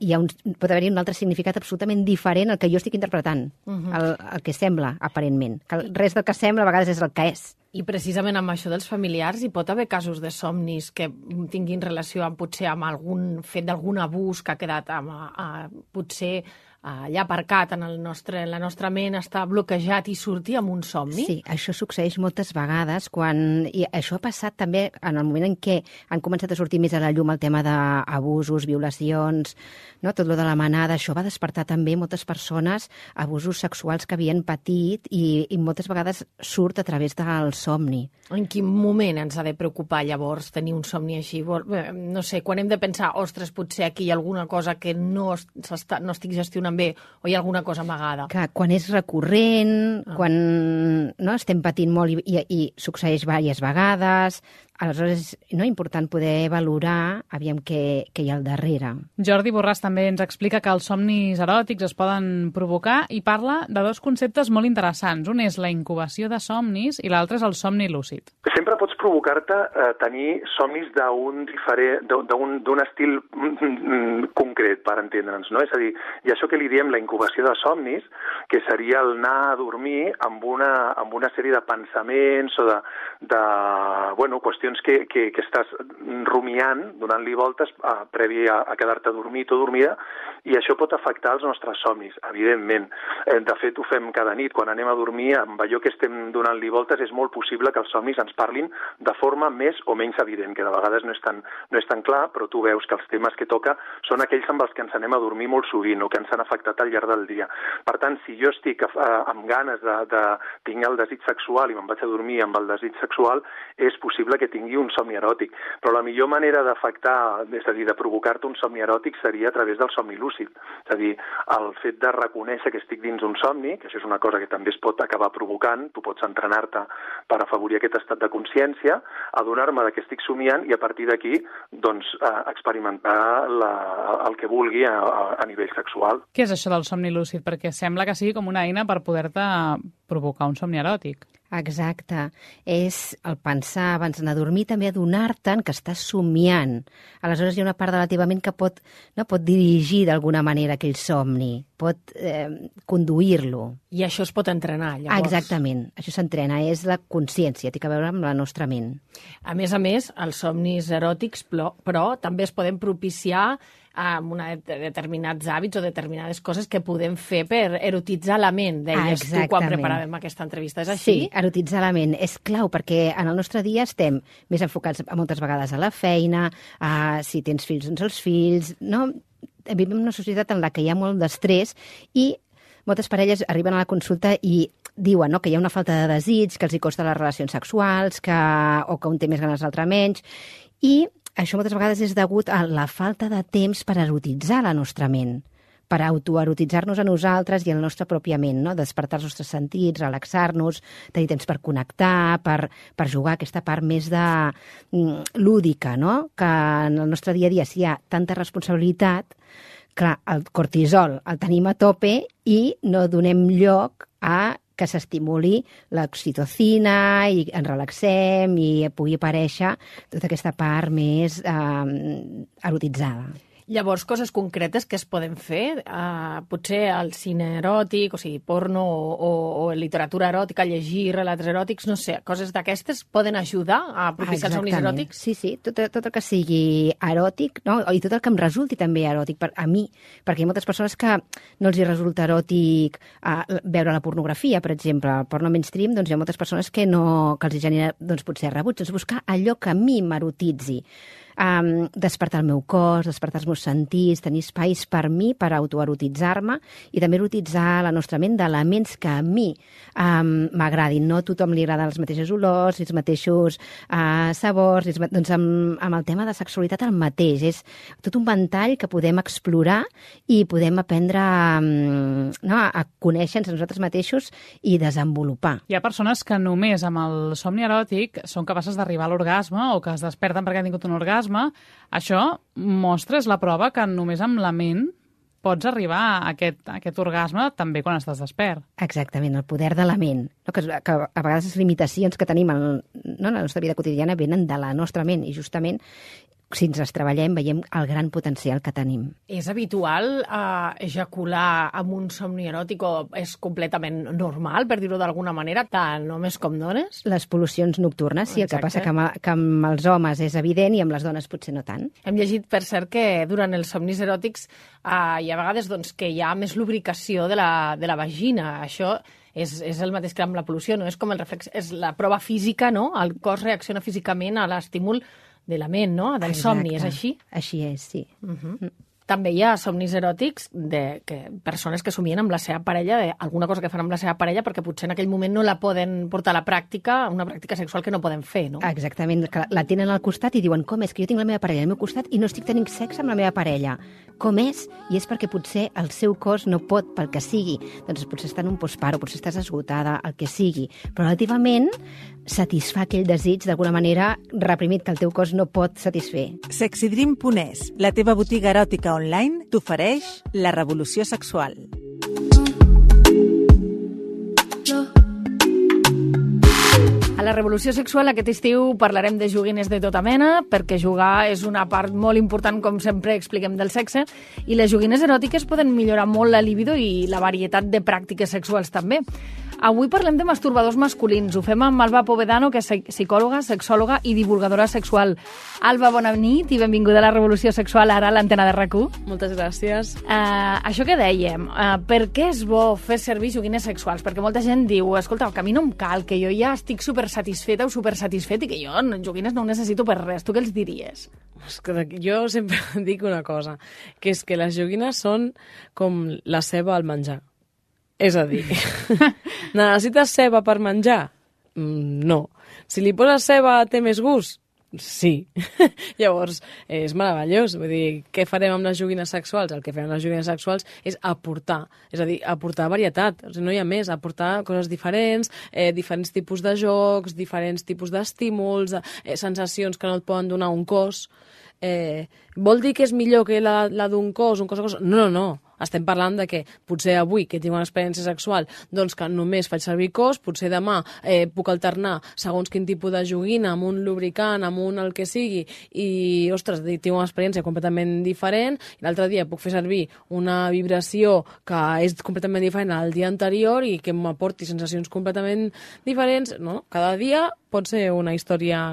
pot haver-hi un altre significat absolutament diferent al que jo estic interpretant, el que sembla, aparentment. Que res del que sembla a vegades és el que és. I precisament amb això dels familiars hi pot haver casos de somnis que tinguin relació potser amb algun fet d'algun abús que ha quedat potser allà aparcat en la nostra ment, està bloquejat i surti amb un somni? Sí, això succeeix moltes vegades i això ha passat també en el moment en què han començat a sortir més a la llum el tema d'abusos, violacions, no? Tot lo de la manada, això va despertar també moltes persones abusos sexuals que havien patit i moltes vegades surt a través del somni. En quin moment ens ha de preocupar llavors tenir un somni així? No sé, quan hem de pensar, ostres, potser aquí hi ha alguna cosa que no estic gestionant bé o hi ha alguna cosa amagada? Clar, quan és recurrent, quan estem patint molt i succeeix diverses vegades, aleshores és important poder valorar aviam què hi ha al darrere. Jordi Borràs també ens explica que els somnis eròtics es poden provocar i parla de dos conceptes molt interessants. Un és la incubació de somnis i l'altre és el somni lúcid. Sempre pots provocar-te tenir somnis d'un estil concret, per entendre'ns, no? És a dir, i això que li diem la incubació de somnis, que seria el anar a dormir amb una sèrie de pensaments o de qüestions que estàs rumiant, donant-li voltes previ a quedar-te dormit o dormida, i això pot afectar els nostres somnis, evidentment. De fet, ho fem cada nit. Quan anem a dormir, amb allò que estem donant-li voltes, és molt possible que els somnis ens parlin de forma més o menys evident, que de vegades no és tan clar, però tu veus que els temes que toca són aquells amb els que ens anem a dormir molt sovint o que ens han afectat al llarg del dia. Per tant, si jo estic amb ganes de tinc el desig sexual i me'n vaig a dormir amb el desig sexual, és possible que tingui un somni eròtic. Però la millor manera d'afectar, és a dir, de provocar-te un somni eròtic seria a través del somni lúcid. És a dir, el fet de reconèixer que estic dins un somni, que això és una cosa que també es pot acabar provocant, tu pots entrenar-te per afavorir aquest estat de consciència, adonar-me que estic somiant i a partir d'aquí doncs, experimentar el que vulgui a nivell sexual. Què és això del somni lúcid? Perquè sembla que sigui com una eina per poder-te provocar un somni eròtic. Exacte. És el pensar abans d'anar a dormir, també adonar-te'n que estàs somiant. Aleshores hi ha una part de la teva ment que pot dirigir d'alguna manera aquell somni, pot conduir-lo. I això es pot entrenar, llavors? Exactament. Això s'entrena, és la consciència, té a veure amb la nostra ment. A més, els somnis eròtics, però també es poden propiciar amb determinats hàbits o determinades coses que podem fer per erotitzar la ment, deies tu quan preparàvem aquesta entrevista. És així? Sí, erotitzar la ment és clau perquè en el nostre dia estem més enfocats moltes vegades a la feina, si tens fills, doncs els fills, no? Vivim en una societat en la que hi ha molt d'estrès i moltes parelles arriben a la consulta i diuen que hi ha una falta de desig, que els hi costa les relacions sexuals, o que un té més ganes l'altre menys, i això moltes vegades és degut a la falta de temps per erotitzar la nostra ment, per autoerotitzar-nos a nosaltres i a la nostra pròpia ment, no? Despertar els nostres sentits, relaxar-nos, tenir temps per connectar, per jugar aquesta part més lúdica, no? Que en el nostre dia a dia, si hi ha tanta responsabilitat, clar, el cortisol el tenim a tope i no donem lloc a que s'estimuli l'oxitocina i ens relaxem i pugui aparèixer tota aquesta part més erotitzada. Llavors, coses concretes que es poden fer, potser el cine eròtic, o sigui, porno o literatura eròtica, llegir relats eròtics, no sé, coses d'aquestes poden ajudar a propiciar els somnis eròtics? Sí, tot el que sigui eròtic, no? I tot el que em resulti també eròtic a mi, perquè hi ha moltes persones que no els hi resulta eròtic veure la pornografia, per exemple, el porno mainstream, doncs hi ha moltes persones que els hi genera potser rebuig, doncs buscar allò que a mi m'erotitzi. Despertar el meu cos, despertar els meus sentits, tenir espais per mi, per autoerotitzar-me i també erotitzar la nostra ment d'elements que a mi m'agradin. No a tothom li agraden les mateixes olors, els mateixos sabors, doncs amb el tema de sexualitat el mateix. És tot un ventall que podem explorar i podem aprendre a conèixer-nos a nosaltres mateixos i desenvolupar. Hi ha persones que només amb el somni eròtic són capaces d'arribar a l'orgasme o que es desperten perquè han tingut un orgasme. Això mostra, és la prova que només amb la ment pots arribar a aquest orgasme també quan estàs despert. Exactament, el poder de la ment. No? Que a vegades les limitacions que tenim en la nostra vida quotidiana venen de la nostra ment i justament si ens les treballem, veiem el gran potencial que tenim. És habitual ejacular amb un somni eròtic o és completament normal, per dir-ho d'alguna manera, tant homes com dones? Les pol·lucions nocturnes, sí, el que passa que amb els homes és evident i amb les dones potser no tant. Hem llegit, per cert, que durant els somnis eròtics hi ha vegades doncs, que hi ha més lubricació de la vagina. Això és el mateix que amb la pol·lució, no? És com el reflex, és la prova física, no? El cos reacciona físicament a l'estímul de la ment, no? Del somni, és així? Així és, sí. També hi ha somnis eròtics de persones que somien amb la seva parella, alguna cosa que fan amb la seva parella, perquè potser en aquell moment no la poden portar a la pràctica, una pràctica sexual que no poden fer, no? Exactament, que la tenen al costat i diuen, com és que jo tinc la meva parella al meu costat i no estic tenint sexe amb la meva parella? Com és? I és perquè potser el seu cos no pot, pel que sigui. Doncs potser està en un postparo, potser estàs esgotada, el que sigui. Però relativament satisfà aquell desig d'alguna manera reprimit que el teu cos no pot satisfer. Sexydream.es, la teva botiga eròtica online, t'ofereix la revolució sexual. A la revolució sexual aquest estiu parlarem de joguines de tota mena, perquè jugar és una part molt important, com sempre expliquem, del sexe, i les joguines eròtiques poden millorar molt la libido i la varietat de pràctiques sexuals també. Avui parlem de masturbadors masculins. Ho fem amb Alba Povedano, que és psicòloga, sexòloga i divulgadora sexual. Alba, bona nit i benvinguda a la Revolució Sexual, ara a l'antena de RAC1. Moltes gràcies. Això que dèiem, per què és bo fer servir joguines sexuals? Perquè molta gent diu, escolta, que a mi no em cal, que jo ja estic supersatisfeta o supersatisfet i que jo joguines no ho necessito per res. Tu què els diries? Jo sempre dic una cosa, que és que les joguines són com la ceba al menjar. És a dir, necessites ceba per menjar? No. Si li poses ceba té més gust? Sí. Llavors, és meravellós. Vull dir, què farem amb les joguines sexuals? El que fem amb les joguines sexuals és aportar. És a dir, aportar varietat. O sigui, no hi ha més. Aportar coses diferents, diferents tipus de jocs, diferents tipus d'estímuls, sensacions que no et poden donar un cos. Vol dir que és millor que la d'un cos, un cos... No. Estem parlant de que potser avui, que tinc una experiència sexual, doncs que només faig servir cos, potser demà puc alternar segons quin tipus de joguina, amb un lubricant, amb un el que sigui, i, ostres, tinc una experiència completament diferent, i l'altre dia puc fer servir una vibració que és completament diferent al dia anterior i que m'aporti sensacions completament diferents, no? Cada dia pot ser una història...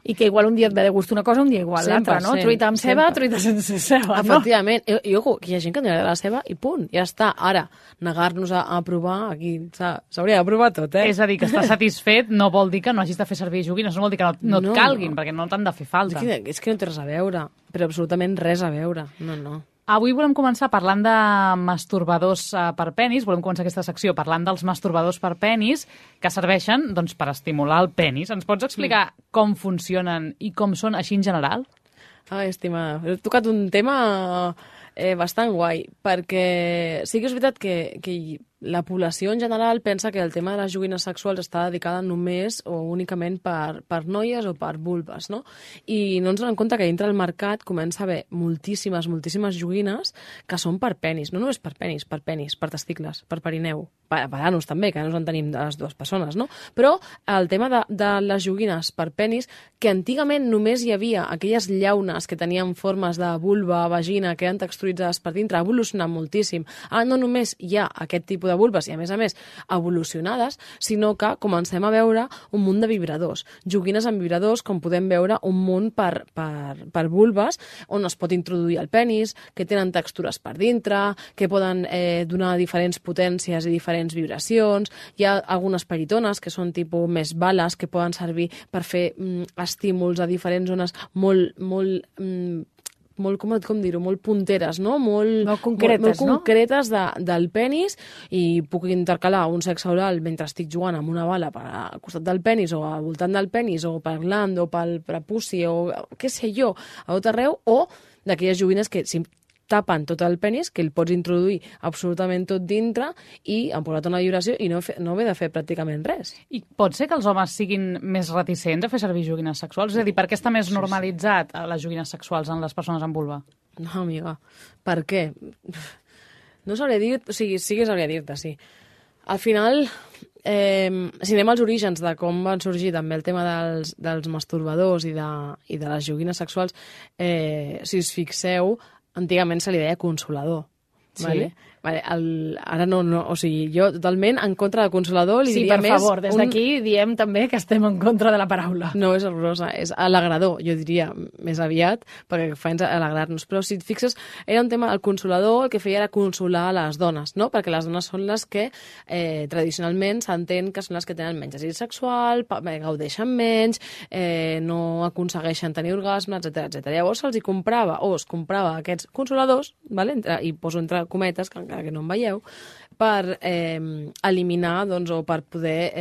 I que igual un dia et ve de gust una cosa, un dia igual l'altra, no? Truita amb ceba, truita sense ceba, no? Efectivament. I ojo, que hi ha gent que no li agrada la ceba i punt, ja està. Ara, negar-nos a provar, aquí s'hauria de provar tot, És a dir, que estàs satisfet no vol dir que no hagis de fer servir joguines, no vol dir que no et calguin, perquè no t'han de fer falta. És que no té res a veure, però absolutament res a veure. No. Avui volem començar parlant de masturbadors per penis, volem començar aquesta secció parlant dels masturbadors per penis que serveixen doncs, per estimular el penis. Ens pots explicar com funcionen i com són així en general? Ai, estimada, he tocat un tema bastant guai, perquè sí que és veritat que la població en general pensa que el tema de les joguines sexuals està dedicada només o únicament per noies o per vulves, no? I no ens donem compte que dintre del mercat comença a haver moltíssimes joguines que són per penis, no només per penis, per testicles, per perineu, per anus també, que anus en tenim de les dues persones, no? Però el tema de les joguines per penis, que antigament només hi havia aquelles llaunes que tenien formes de vulva, vagina, que eren texturitzades per dintre, ha evolucionat moltíssim. Ara no només hi ha aquest tipus de vulves i, a més, evolucionades, sinó que comencem a veure un munt de vibradors. Joguines amb vibradors, com podem veure, un munt per vulves, on es pot introduir el penis, que tenen textures per dintre, que poden donar diferents potències i diferents vibracions. Hi ha algunes peritones, que són tipus més bales, que poden servir per fer estímuls a diferents zones molt com dir-ho, molt punteres, no? Molt concretes del penis, i puc intercalar un sexe oral mentre estic jugant amb una bala al costat del penis o al voltant del penis o pel gland o pel prepuci o què sé jo, a tot arreu, o d'aquelles joguines que tapen tot el penis, que el pots introduir absolutament tot dintre i emportar una vibració i no haver de fer pràcticament res. I pot ser que els homes siguin més reticents a fer servir joguines sexuals? És a dir, per què està més normalitzat les joguines sexuals en les persones amb vulva? No, amiga, per què? No sabria dir, o sigui, sí que sabria dir-te, sí. Al final, si anem als orígens de com van sorgir també el tema dels masturbadors i de les joguines sexuals, si us fixeu, antigament se li deia consolador. Sí. Vale? Ara no, o sigui, jo totalment en contra de consolador li diria més... Sí, per favor, des d'aquí diem també que estem en contra de la paraula. No, és horrorosa, és alegrador, jo diria, més aviat, perquè fa alegrar-nos. Però si et fixes, era un tema, el consolador el que feia era consolar les dones, no? Perquè les dones són les que tradicionalment s'entén que són les que tenen menys desig sexual, gaudeixen menys, no aconsegueixen tenir orgasmes, etc. Llavors se'ls comprava, o es comprava aquests consoladors, vale? I poso entre cometes, que encara que no em veieu, per eliminar, doncs, o per poder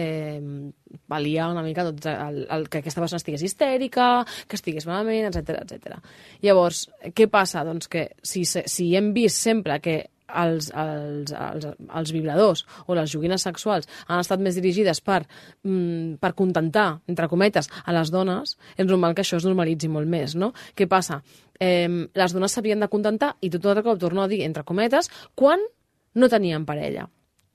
pal·liar una mica tot que aquesta persona estigués histèrica, que estigués malament, etc. Llavors, què passa? Doncs que si hem vist sempre que els vibradors o les joguines sexuals han estat més dirigides per contentar, entre cometes, a les dones, és normal que això es normalitzi molt més, no? Què passa? Les dones s'havien de contentar, i tot el cop torno a dir, entre cometes, quan no tenien parella.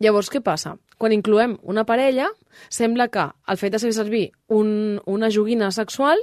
Llavors, què passa? Quan incloem una parella, sembla que el fet de fer servir una joguina sexual,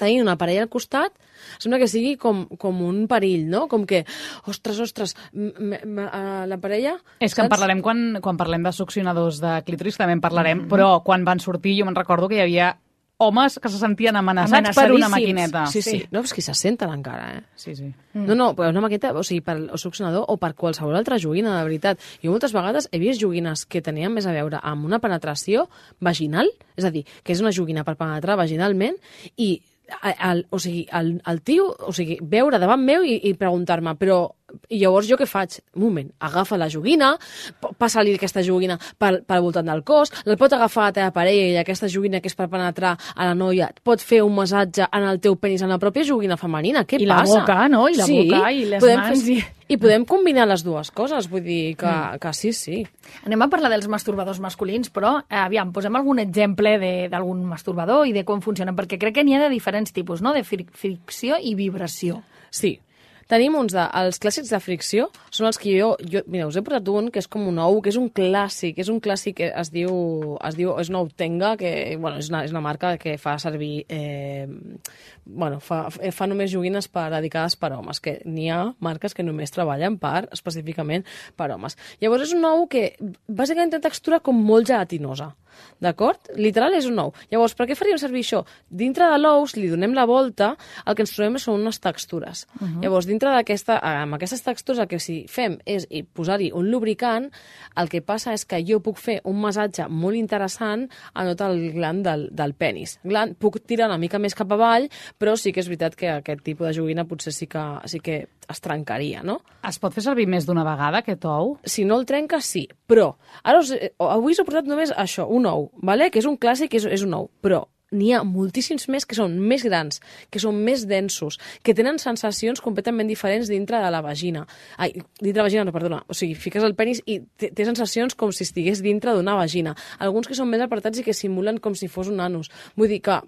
tenir una parella al costat, sembla que sigui com un perill, no? Com que, ostres, la parella... És que en parlarem quan parlem de succionadors de clítoris, també en parlarem, però quan van sortir jo me'n recordo que hi havia homes que se sentien amenaçats per una maquineta. Sí. No, és que se senten encara, Sí. No, però una maquineta, o sigui, per el succionador o per qualsevol altra joguina, de veritat. Jo moltes vegades he vist joguines que tenien més a veure amb una penetració vaginal, és a dir, que és una joguina per penetrar vaginalment, i el tio, veure davant meu i preguntar-me, però i llavors jo què faig? Un moment, agafa la joguina, passa-li aquesta joguina pel voltant del cos, la pot agafar la teva parella i aquesta joguina que és per penetrar a la noia et pot fer un massatge en el teu penis en la pròpia joguina femenina. Què passa? I la boca, no? I la boca i les mans. I podem combinar les dues coses, vull dir que sí. Anem a parlar dels masturbadors masculins, però aviam, posem algun exemple d'algun masturbador i de com funcionen, perquè crec que n'hi ha de diferents tipus, no? De fricció i vibració. Sí. Tenim els clàssics de fricció, són els que mira, us he portat un que és com un ou, que és un clàssic, que es diu, és una Outenga, que, bueno, és una marca que fa servir, fa només joguines dedicades per homes, que n'hi ha marques que només treballen específicament per homes. Llavors és un ou que bàsicament té textura com molt gelatinosa, d'acord? Literal és un ou. Llavors, per què faríem servir això? Dintre de l'ou, si li donem la volta, el que ens trobem són unes textures. Llavors, dintre amb aquestes textures el que si fem és posar-hi un lubricant, el que passa és que jo puc fer un massatge molt interessant a tot el gland del penis. Puc tirar una mica més cap avall, però sí que és veritat que aquest tipus de joguina potser sí que es trencaria, no? Es pot fer servir més d'una vegada, aquest ou? Si no el trenca, sí. Però avui us he portat només això, un ou, vale? Que és un clàssic, és un ou, però n'hi ha moltíssims més que són més grans, que són més densos, que tenen sensacions completament diferents dintre de la vagina. O sigui, fiques el penis i té sensacions com si estigués dintre d'una vagina. Alguns que són més apartats i que simulen com si fos un anus. Vull dir que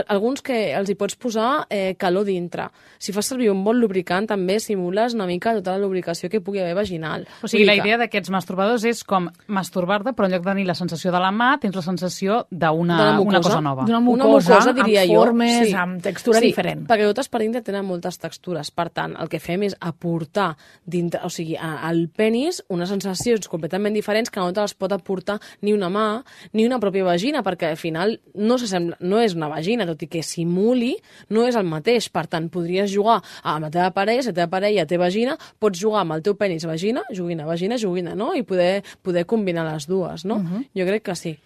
alguns que els hi pots posar calor dintre. Si fas servir un bon lubricant també simules una mica tota la lubricació que pugui haver vaginal. O sigui, la idea d'aquests masturbadors és com masturbar-te, però en lloc de tenir la sensació de la mà, tens la sensació d'una cosa nova. D'una mucosa, diria amb formes, amb textura diferent. Perquè totes per dintre tenen moltes textures. Per tant, el que fem és aportar dintre, o sigui, al penis unes sensacions completament diferents que no te les pot aportar ni una mà ni una pròpia vagina, perquè al final no és una vagina, tot i que simuli, no és el mateix. Per tant, podries jugar amb la teva parella, si la teva parella té vagina, pots jugar amb el teu penis vagina, joguina, no? I poder combinar les dues, no? Jo crec que sí.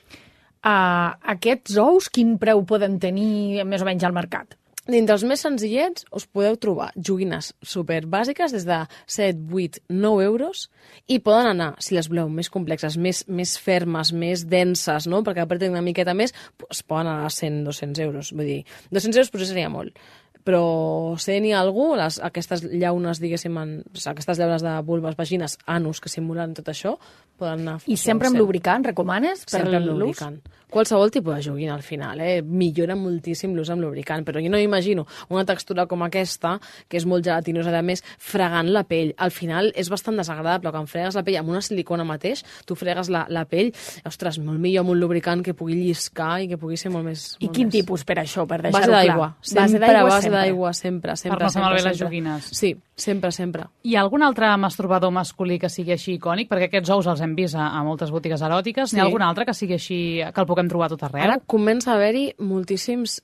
Aquests ous, quin preu poden tenir més o menys al mercat? Dintre els més senzillets us podeu trobar joguines superbàsiques des de 7, 8, 9 euros i poden anar, si les voleu, més complexes, més fermes, més denses, no? Perquè apreten una miqueta més, es poden anar a 100, 200 euros. Vull dir, 200 euros potser seria molt. Però n'hi ha algú, aquestes llaunes, diguéssim, aquestes llaunes de vulves, vagines, anus, que simulen tot això, poden anar... I sempre amb lubricant, recomanes? Sempre amb lubricant. Qualsevol tipus de joguina, al final, millora moltíssim l'ús amb lubricant, però jo no m'imagino una textura com aquesta, que és molt gelatinosa, a més, fregant la pell. Al final és bastant desagradable, quan fregues la pell amb una silicona mateix, tu fregues la pell, ostres, molt millor amb un lubricant que pugui lliscar i que pugui ser molt més... I quin tipus per això, per deixar-ho clar? Base d'aigua, sempre. Per no fer malbé les joguines. Sí, sempre. Hi ha algun altre masturbador masculí que sigui així icònic? Perquè aquests ous els hem vist a moltes botigues eròtiques. N'hi ha algun altre que sigui així, que el puguem trobar tot arreu? Ara comença a haver-hi moltíssimes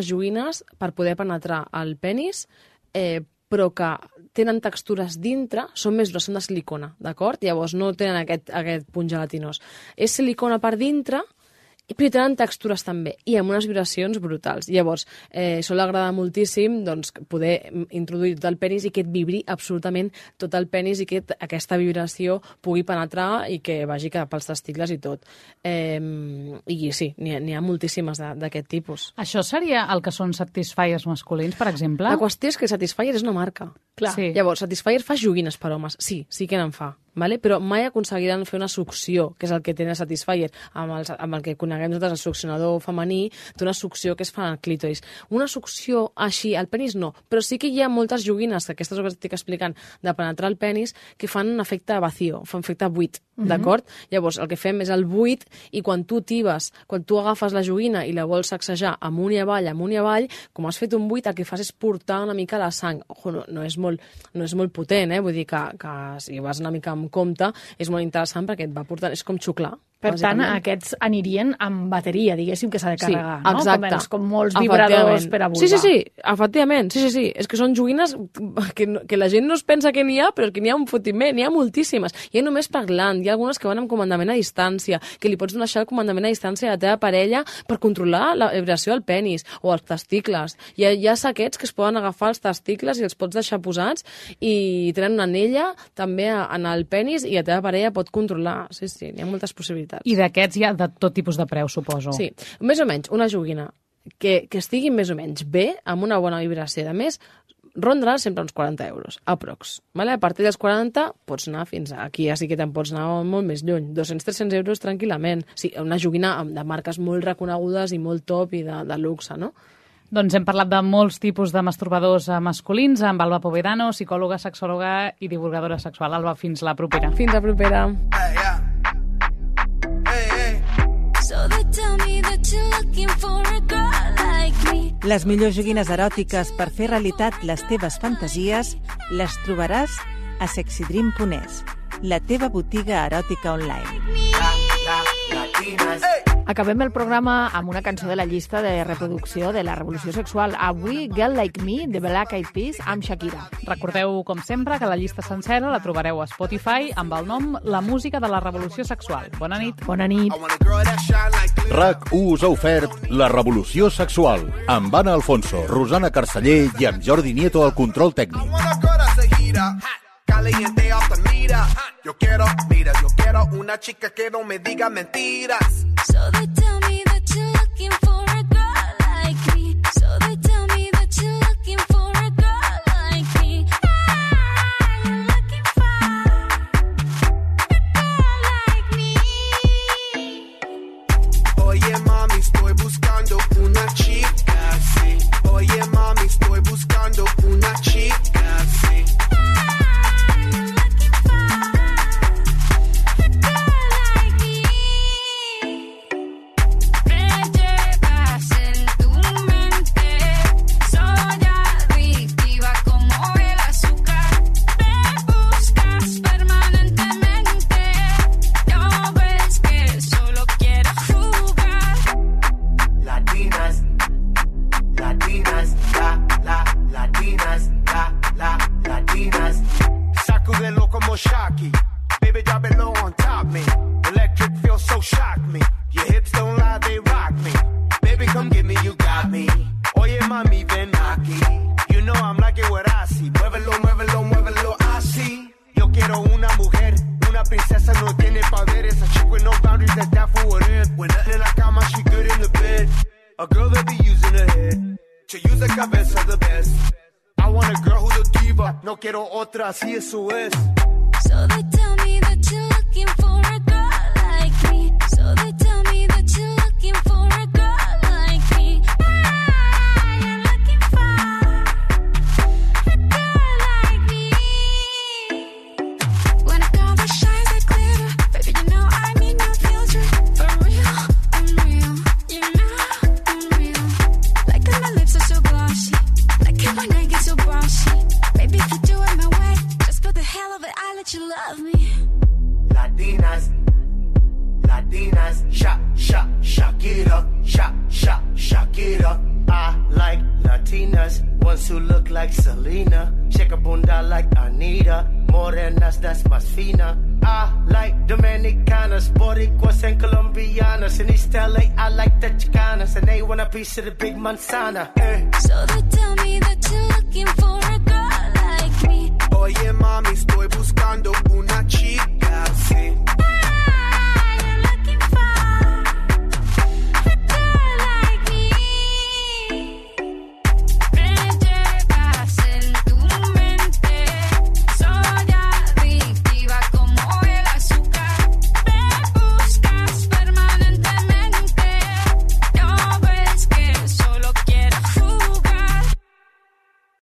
joguines per poder penetrar el penis, però que tenen textures dintre, són més grosses, són de silicona, d'acord? Llavors no tenen aquest punt gelatinós. És silicona per dintre, però tenen textures també, i amb unes vibracions brutals. Llavors, sol agradar moltíssim poder introduir tot el penis i que et vibri absolutament tot el penis i que aquesta vibració pugui penetrar i que vagi cap als testicles i tot. I sí, n'hi ha moltíssimes d'aquest tipus. Això seria el que són Satisfyers masculins, per exemple? La qüestió és que Satisfyer és una marca. Clar. Sí. Llavors, Satisfyer fa joguines per homes. Sí que n'en fa. Vale? Però mai aconseguiran fer una succió, que és el que té el Satisfyer, amb el que coneguem nosaltres, el succionador femení, té una succió que es fa al clítoris. Una succió així, al penis no, però sí que hi ha moltes joguines, que aquestes que estic explicant, de penetrar el penis, que fan un efecte vacío, fan efecte buit, d'acord? Llavors, el que fem és el buit, i quan tu tibes, quan tu agafes la joguina i la vols sacsejar amunt i avall, com has fet un buit, el que fas és portar una mica la sang. Ojo, no és molt potent, vull dir que si vas una mica amb compte, és molt interessant perquè et va portant, és com xuclar. Per tant, aquests anirien amb bateria, diguéssim, que s'ha de carregar, no? Exacte. Com molts vibradors per a vulva. Sí, efectivament. Sí. És que són joguines que la gent no es pensa que n'hi ha, però que n'hi ha un fotiment, n'hi ha moltíssimes. Hi ha només per gland, hi ha algunes que van amb comandament a distància, que li pots deixar el comandament a distància a la teva parella per controlar la vibració del penis o els testicles. Hi ha saquets que es poden agafar els testicles i els pots deixar posats i tenen una anella també en el penis i la teva parella pot controlar. Sí, n'hi ha moltes possibilitats. I d'aquests hi ha de tot tipus de preu, suposo. Sí, més o menys, una joguina que estigui més o menys bé, amb una bona vibració. A més, rondarà sempre uns 40 euros, aprox. Vale? A partir dels 40 pots anar fins aquí, ja sí que te'n pots anar molt més lluny. 200-300 euros tranquil·lament. Sí, una joguina de marques molt reconegudes i molt top i de luxe, no? Doncs hem parlat de molts tipus de masturbadors masculins amb Alba Povedano, psicòloga, sexòloga i divulgadora sexual. Alba, fins la propera. Fins la propera. Les millors joguines eròtiques per fer realitat les teves fantasies les trobaràs a sexydream.es, la teva botiga eròtica online. Acabem el programa amb una cançó de la llista de reproducció de la revolució sexual. Avui, Girl Like Me, de Black Eyed Peas, amb Shakira. Recordeu, com sempre, que la llista sencera la trobareu a Spotify amb el nom La música de la revolució sexual. Bona nit. Bona nit. RAC1 us ha ofert La revolució sexual, amb Anna Alfonso, Rosana Carceller i amb Jordi Nieto al control tècnic. Caliente off the mira. Yo quiero una chica que no me diga mentiras. So they tell me that you're looking for a girl like me. So they tell me that you're looking for a girl like me. I'm looking for a girl like me. Oye mami, estoy buscando una chica, sí. Oye mami, estoy buscando una chica, sí. A girl that be using her head, use the cabeza the best. I want a girl who's a diva, no quiero otra, así eso es. So they tell me that you're looking for a girl like me. So they tell me that you're looking for a girl like me. You're looking for a girl like me. When a girl that shines like glitter, baby, you know I need no filter. For real, I'm real. You know I'm real. Like that my lips are so glossy. Like that my neck is so bossy. Baby, if you do it my way, just for the hell of it, I let you love me. Latinas, shock it up, shock it up. I like Latinas, ones who look like Selena, shake a bunda like Anita, morenas, that's más fina. I like Dominicanas, Boricuas and Colombianas, in East LA I like the Chicanas, and they want a piece of the big manzana. So they tell me that you're looking for a girl like me. Oye mami, estoy buscando una chica, sí.